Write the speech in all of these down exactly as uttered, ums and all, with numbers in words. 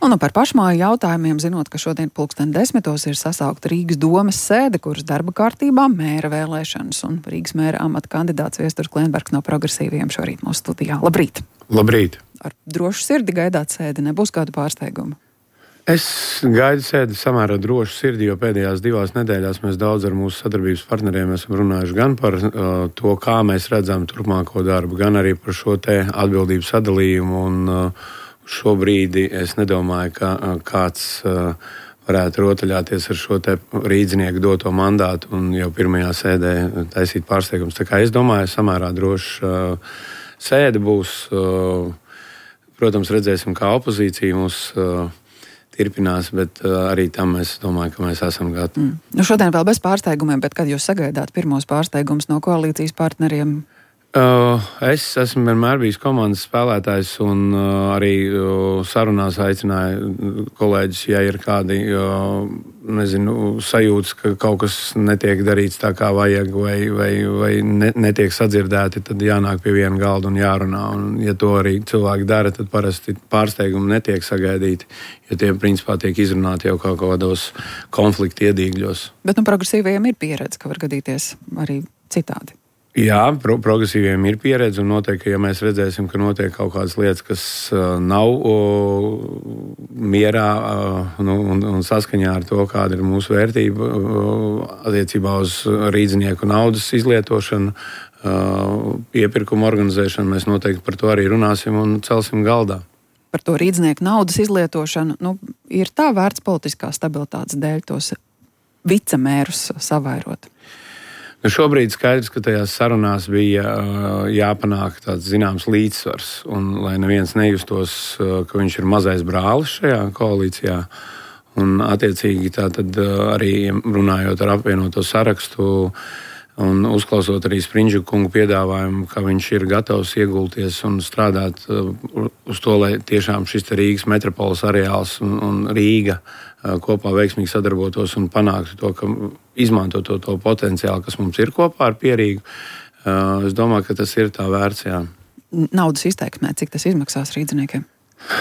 Un nu par pašmāju jautājumiem, zinot, ka šodien pulksten desmitos ir sasaukta Rīgas domes sēde, kuras darba kārtībā mēra vēlēšanas, un Rīgas mēra amata kandidāts Viesturs Klienbergs no Progresīviem šorīt mūsu studijā. Labrīt! Labrīt! Ar drošu sirdi gaidāt sēdi, nebūs kādu pārsteigumu? Es gaidu sēdi samērā drošu sirdi, jo pēdējās divās nedēļās mēs daudz ar mūsu sadarbības partneriem esam runājuši gan par uh, to, kā mēs redzam turpmāko darbu, gan arī par šo te atbildību sadalījumu. Un, uh, šobrīd es nedomāju, ka uh, kāds uh, varētu rotaļāties ar šo te rīdznieku doto mandātu un jau pirmajā sēdē taisīt pārsteigums. Tā kā es domāju, samērā droši uh, sēde būs. Uh, protams, redzēsim, kā opozīcija mūs uh, turpinās, bet uh, arī tam es domāju, ka mēs esam gatavi. Mm. Nu šodien vēl bez pārsteigumiem, bet kad jūs sagaidāt pirmos pārsteigumus no koalīcijas partneriem? Uh, es esmu vienmēr bijis komandas spēlētājs un uh, arī uh, sarunās aicināju kolēģis, ja ir kādi uh, nezinu, sajūtas, ka kaut kas netiek darīts tā, kā vajag, vai, vai, vai ne, netiek sadzirdēti, tad jānāk pie viena galda un jārunā. Un, ja to arī cilvēki dara, tad parasti pārsteigumi netiek sagaidīti, jo tie principā tiek izrunāti jau kaut kādos konflikta iedīgļos. Bet nu progresīvajiem ir pieredze, ka var gadīties arī citādi. Jā, pro, progresīviem ir pieredze, un noteikti, ka ja mēs redzēsim, ka notiek kaut kādas lietas, kas uh, nav uh, mierā uh, nu, un, un saskaņā ar to, kāda ir mūsu vērtība uh, attiecībā uz rīdznieku naudas izlietošanu, uh, iepirkumu organizēšanu, mēs noteikti par to arī runāsim un celsim galdā. Par to rīdznieku naudas izlietošanu, nu, ir tā vērts politiskā stabilitātes dēļ tos vicemērus savairot? Nu, šobrīd skaidrs, ka tajās sarunās bija uh, jāpanāk tāds zināms līdzsvars, un lai neviens nejustos, uh, ka viņš ir mazais brālis šajā koalīcijā. Un attiecīgi tā tad uh, arī runājot ar apvienoto sarakstu un uzklausot arī Sprindžu kungu piedāvājumu, ka viņš ir gatavs iegulties un strādāt uh, uz to, lai tiešām šis Rīgas metropoles areāls un, un Rīga uh, kopā veiksmīgi sadarbotos un panāktu to, ka izmanto to, to potenciālu, kas mums ir kopā ar Pierīgu. Uh, es domāju, ka tas ir tā vērts, jā. Naudas izteiksmē, cik tas izmaksās rīdzniekiem?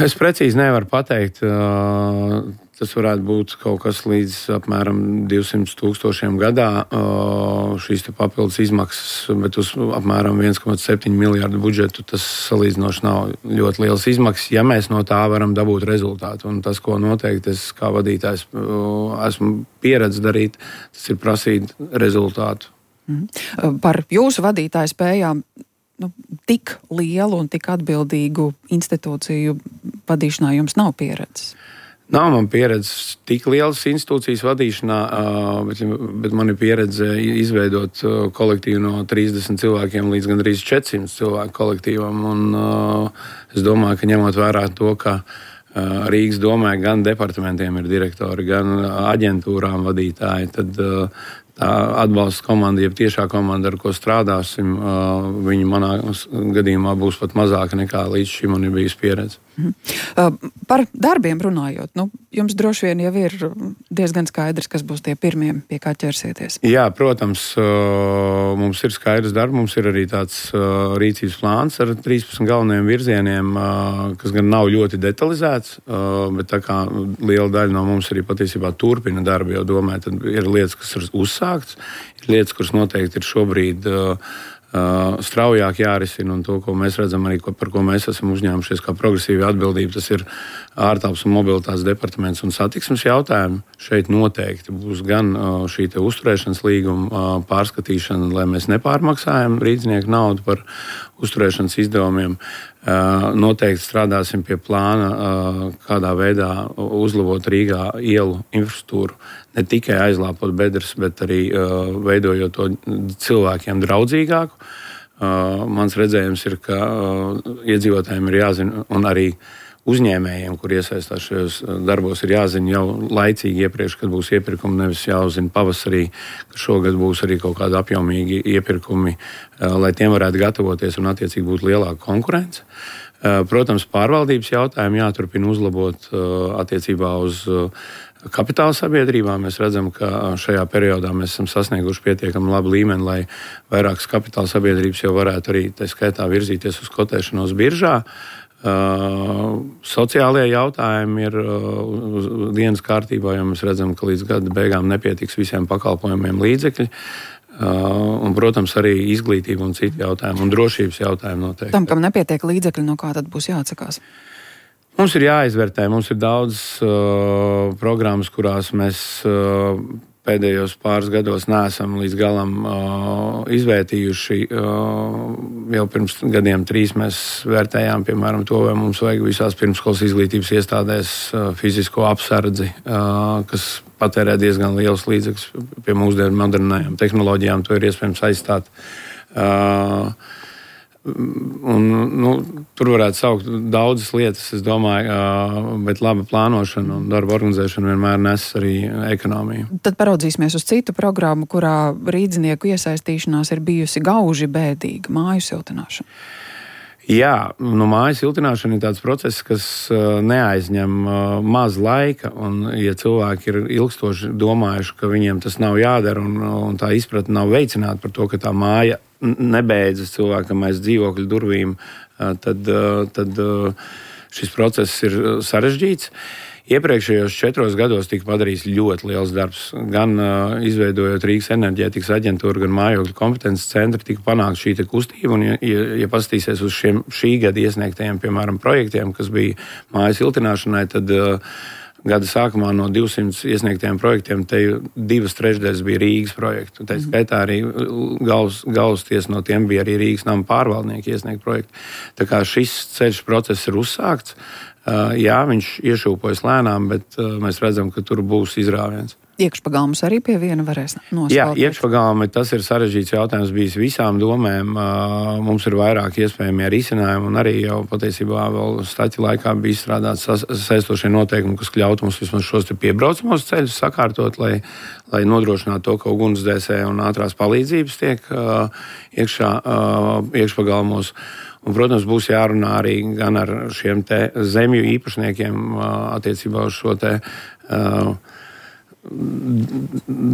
Es precīzi nevaru pateikt. Uh, tas varētu būt kaut kas līdz apmēram divsimt tūkstošiem gadā uh, šīs te papildus izmaksas, bet uz apmēram viens komats septiņi miljārdu budžetu tas salīdzinoši nav ļoti liels izmaksas, ja mēs no tā varam dabūt rezultātu. Un tas, ko noteikti es kā vadītājs uh, esmu pieredzi darīt, tas ir prasīt rezultātu. Mm. Par jūsu vadītāju spējām nu, tik lielu un tik atbildīgu institūciju vadīšanā jums nav pieredzes? Nav man pieredze tik lielas institūcijas vadīšanā, bet, bet man ir pieredze izveidot kolektīvu no trīsdesmit cilvēkiem līdz gandrīz četrsimt cilvēku kolektīvam. Un es domāju, ka ņemot vērā to, ka Rīgas domē gan departamentiem ir direktori, gan aģentūrām vadītāji, tad tā atbalsta komanda, jeb tiešā komanda, ar ko strādāsim, viņa manā gadījumā būs pat mazāka nekā līdz šim man ir bijusi pieredze. Mm. Par darbiem runājot, nu, jums droši vien jau ir diezgan skaidrs, kas būs tie pirmie, pie kā ķersieties. Jā, protams, mums ir skaidrs darbs, mums ir arī tāds rīcības plāns ar trīspadsmit galvenajiem virzieniem, kas gan nav ļoti detalizēts, bet tā kā liela daļa no mums arī patiesībā turpina darbu, jo domāju, tad ir lietas, kas ir uzsākts, ir lietas, kuras noteikti ir šobrīd Uh, straujāk jārisina, un to, ko mēs redzam arī, ko, par ko mēs esam uzņēmušies kā progresīva atbildība, tas ir ārtelpas un mobilitātes departaments un satiksmes jautājumi. Šeit noteikti būs gan uh, šī te uzturēšanas līguma uh, pārskatīšana, lai mēs nepārmaksājam rīdznieku naudu par uzturēšanas izdevumiem. Uh, noteikti strādāsim pie plāna, uh, kādā veidā uzlabot Rīgā ielu infrastruktūru, ne tikai aizlāpot bedres, bet arī uh, veidojot to cilvēkiem draudzīgāku. Uh, mans redzējums ir, ka uh, iedzīvotājiem ir jāzina, un arī uzņēmējiem, kur iesaistās šajos darbos, ir jāzina jau laicīgi iepriekš, kad būs iepirkumi, nevis jāuzzina pavasarī, ka šogad būs arī kaut kādi apjomīgi iepirkumi, uh, lai tiem varētu gatavoties un attiecīgi būtu lielāka konkurence. Uh, protams, pārvaldības jautājumi jāturpina uzlabot uh, attiecībā uz uh, kapitāla sabiedrībām. Mēs redzam, ka šajā periodā mēs esam sasnieguši pietiekami labu līmeni, lai vairākas kapitāla sabiedrības jau varētu arī tā skaitā virzīties uz kotēšanos biržā. Uh, sociālie jautājumi ir uh, dienas kārtībā, jo mēs redzam, ka līdz gada beigām nepietiks visiem pakalpojumiem līdzekļi. Uh, un, protams, arī izglītība un citi jautājumi, un drošības jautājumi noteikti. Tam, kam nepietiek līdzekļi, no kā tad būs jāatsakās? Mums ir jāizvērtē, mums ir daudz uh, programmas, kurās mēs uh, pēdējos pāris gados neesam līdz galam uh, izvērtījuši. Uh, jau pirms gadiem trīs mēs vērtējām, piemēram, to, vai mums vajag visās pirmskolas izglītības iestādēs uh, fizisko apsardzi, uh, kas patērē diezgan liels līdzekļus. Pie mūsdienu modernajām tehnoloģijām to ir iespējams aizstāt. Uh, Un, nu, tur varētu saukt daudzas lietas, es domāju, bet laba plānošana un darba organizēšana vienmēr nes arī ekonomiju. Tad paraudzīsimies uz citu programmu, kurā rīdzinieku iesaistīšanās ir bijusi gauži bēdīga, māju siltināšana. Jā, nu, mājas siltināšana ir tāds process, kas uh, neaizņem uh, maz laika, un ja cilvēki ir ilgstoši domājuši, ka viņiem tas nav jādara, un, un tā izpratne nav veicināta par to, ka tā māja nebeidzas cilvēkam aiz dzīvokļu durvīm, uh, tad, uh, tad uh, šis process ir sarežģīts. Iepriekšējos četros gados tika padarīts ļoti liels darbs. Gan uh, izveidojot Rīgas enerģētikas aģentūru, gan mājokļu kompetences centru, tika panākt šī kustība. Un, ja, ja, ja paskatīsies uz šiem šī gada iesniegtajiem, piemēram, projektiem, kas bija mājas siltināšanai, tad uh, gada sākumā no divsimt iesniegtajiem projektiem te divas trešdaļas bija Rīgas projektu. Tā skaitā arī galvas, galvasties no tiem bija arī Rīgas nama pārvaldnieki iesniegt projektu. Tā kā šis ceļš process ir uzsākts. Uh, jā, viņš iešūpojas lēnām, bet uh, mēs redzam, ka tur būs izrāviens. Iekšpagalmus arī pie viena varēs noskalpēt? Jā, iekšpagalmi tas ir sarežģīts jautājums bijis visām domēm. Uh, mums ir vairāk iespējamie risinājumi, un arī jau patiesībā vēl staķi laikā bija izstrādāts saistošie noteikumi, kas ļautu mums vismaz šos te piebraucamos ceļus sakārtot, lai, lai nodrošinātu to, ka ugunsdzēsē un ātrās palīdzības tiek uh, iekšā uh, iekšpagalmos. Un, protams, būs jārunā arī gan ar šiem te zemju īpašniekiem attiecībā uz šo te uh,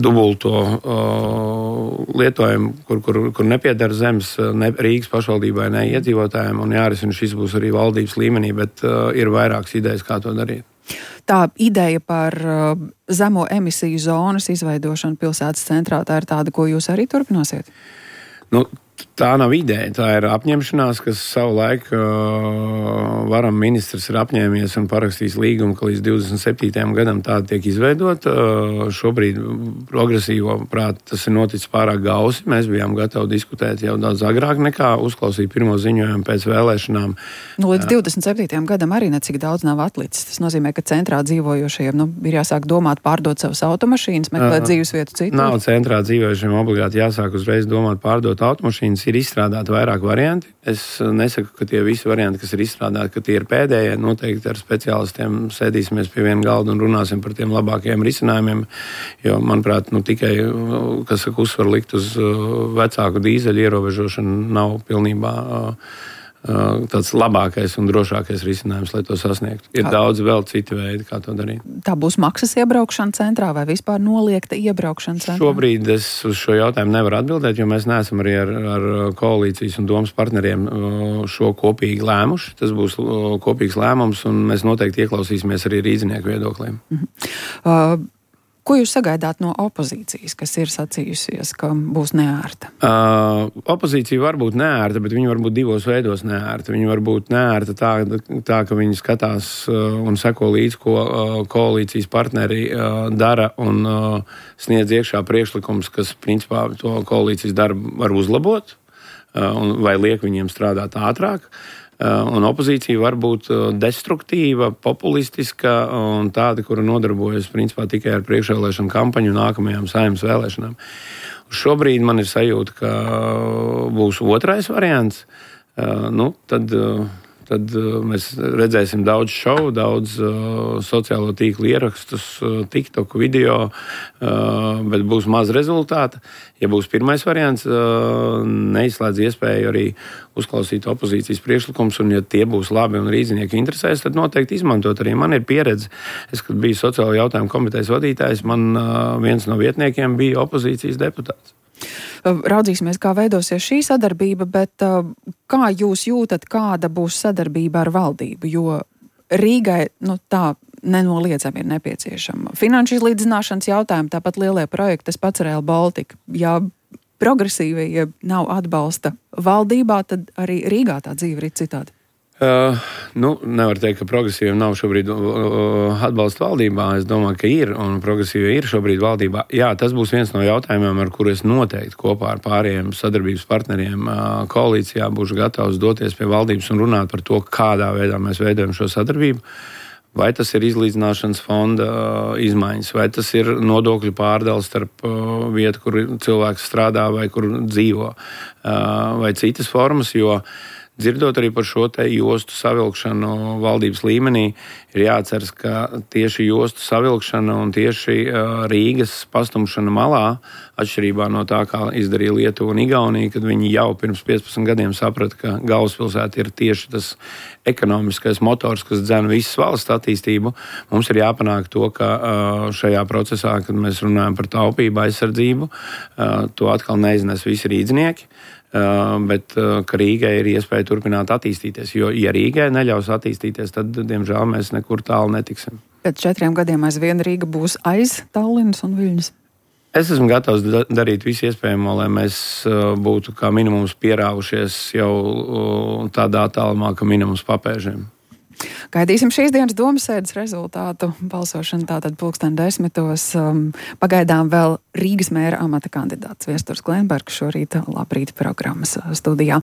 dubulto uh, lietojumu, kur, kur, kur nepiedara zemes ne Rīgas pašvaldībai, ne iedzīvotājiem, un jārisina šis būs arī valdības līmenī, bet uh, ir vairākas idejas, kā to darīt. Tā ideja par uh, zemo emisiju zonas izveidošanu pilsētas centrā, tā ir tāda, ko jūs arī turpināsiet? Nu, tā nav ideja, tā ir apņemšanās, kas savu laiku uh, varam ministrs ir apņēmies un parakstījis līgumu, ka līdz divdesmit septītajam gadam tāda tiek izveidota. Uh, šobrīd progresīvo prāt tas ir noticis pārāk gausi. Mēs bijām gatavi diskutēt jau daudz agrāk nekā uzklausīt pirmo ziņojumu pēc vēlēšanām. Nu, līdz divdesmit septītajam gadam arī necik daudz nav atlicis. Tas nozīmē, ka centrā dzīvojošajiem nu, ir jāsāk domāt pārdot savas automašīnas, meklēt uh, dzīvesvietu citur. Nav centrā dzīvojošiem obligāti jāsāk uzreiz domāt pārdot automašīnas. Ir izstrādāti vairāk varianti. Es nesaku, ka tie visi varianti, kas ir izstrādāti, ka tie ir pēdējie. Noteikti ar speciālistiem sēdīsimies pie viena galda un runāsim par tiem labākajiem risinājumiem. Jo, manuprāt, nu, tikai, kas saka, uzsvaru likt uz vecāku dīzeļu ierobežošanu nav pilnībā tāds labākais un drošākais risinājums, lai to sasniegtu. Ir kā? Daudz vēl citi veidi, kā to darīt. Tā būs maksas iebraukšana centrā vai vispār noliegta iebraukšana centrā? Šobrīd es uz šo jautājumu nevaru atbildēt, jo mēs neesam arī ar, ar koalīcijas un domas partneriem šo kopīgi lēmuši. Tas būs kopīgs lēmums, un mēs noteikti ieklausīsimies arī rīdzinieku viedokliem. Mhm. Uh, Ko jūs sagaidāt no opozīcijas, kas ir sacījusies, ka būs neērta? Uh, opozīcija var būt neērta, bet viņi var būt divos veidos neērta. Viņi var būt neērta tā, tā ka viņi skatās uh, un seko līdz, ko uh, koalīcijas partneri uh, dara un uh, sniedz iekšā priekšlikums, kas principā to koalīcijas darbu var uzlabot uh, un, vai liek viņiem strādāt ātrāk. Un opozīcija var būt destruktīva, populistiska un tāda, kura nodarbojas principā tikai ar priekšvēlēšanu kampaņu nākamajām Saeimas vēlēšanām. Šobrīd man ir sajūta, ka būs otrais variants. Nu, tad, tad mēs redzēsim daudz šovu, daudz uh, sociālo tīklu ierakstus, uh, TikTok video, uh, bet būs maz rezultāta. Ja būs pirmais variants, uh, neizslēdz iespēju arī uzklausīt opozīcijas priekšlikums, un ja tie būs labi un rīznieki interesēs, tad noteikti izmantot arī. Man ir pieredze. Es, kad biju sociālo jautājumu komitejas vadītājs, man uh, viens no vietniekiem bija opozīcijas deputāts. Raudzīsimies, kā veidosies šī sadarbība, bet kā jūs jūtat, kāda būs sadarbība ar valdību, jo Rīgai, nu tā, nenoliedzami ir nepieciešama finanšu izlīdzināšanas jautājumi, tāpat lielie projekti, tas pats Rail Baltica. Ja progresīvie nav atbalsta valdībā, tad arī Rīgā tā dzīve ir citādi. Uh, nu, nevar teikt, ka progresīviem nav šobrīd uh, atbalsta valdībā. Es domāju, ka ir, un progresīvie ir šobrīd valdībā. Jā, tas būs viens no jautājumiem, ar kuru es noteikti kopā ar pārējiem sadarbības partneriem uh, koalīcijā būšu gatavs doties pie valdības un runāt par to, kādā veidā mēs veidojam šo sadarbību. Vai tas ir izlīdzināšanas fonda uh, izmaiņas, vai tas ir nodokļu pārdales starp uh, vietu, kur cilvēks strādā vai kur dzīvo, uh, vai citas formas, jo dzirdot arī par šo te jostu savilkšanu valdības līmenī, ir jāatceras, ka tieši jostu savilkšana un tieši uh, Rīgas pastumšana malā, atšķirībā no tā, kā izdarīja Lietuva un Igaunija, kad viņi jau pirms piecpadsmit gadiem saprata, ka galvaspilsēta ir tieši tas ekonomiskais motors, kas dzen visas valsts attīstību. Mums ir jāpanāk to, ka uh, šajā procesā, kad mēs runājam par taupību, aizsardzību, uh, to atkal neiznes visi rīdznieki. Uh, bet uh, ka Rīgai ir iespēja turpināt attīstīties, jo, ja Rīgai neļaus attīstīties, tad, diemžēl, mēs nekur tālu netiksim. Pēc četriem gadiem aizvien Rīga būs aiz Tallinas un Viļņas? Es esmu gatavs da- darīt visu iespējamo, lai mēs uh, būtu kā minimums pierāvušies jau uh, tādā tālumā, ka minimums papēžiem. Gaidīsim šīs dienas domasēdes rezultātu. Balsošana tātad pulksten desmitos. Um, pagaidām vēl Rīgas mēra amata kandidāts Viesturs Klenbergs šorīt Labrīt programmas studijā.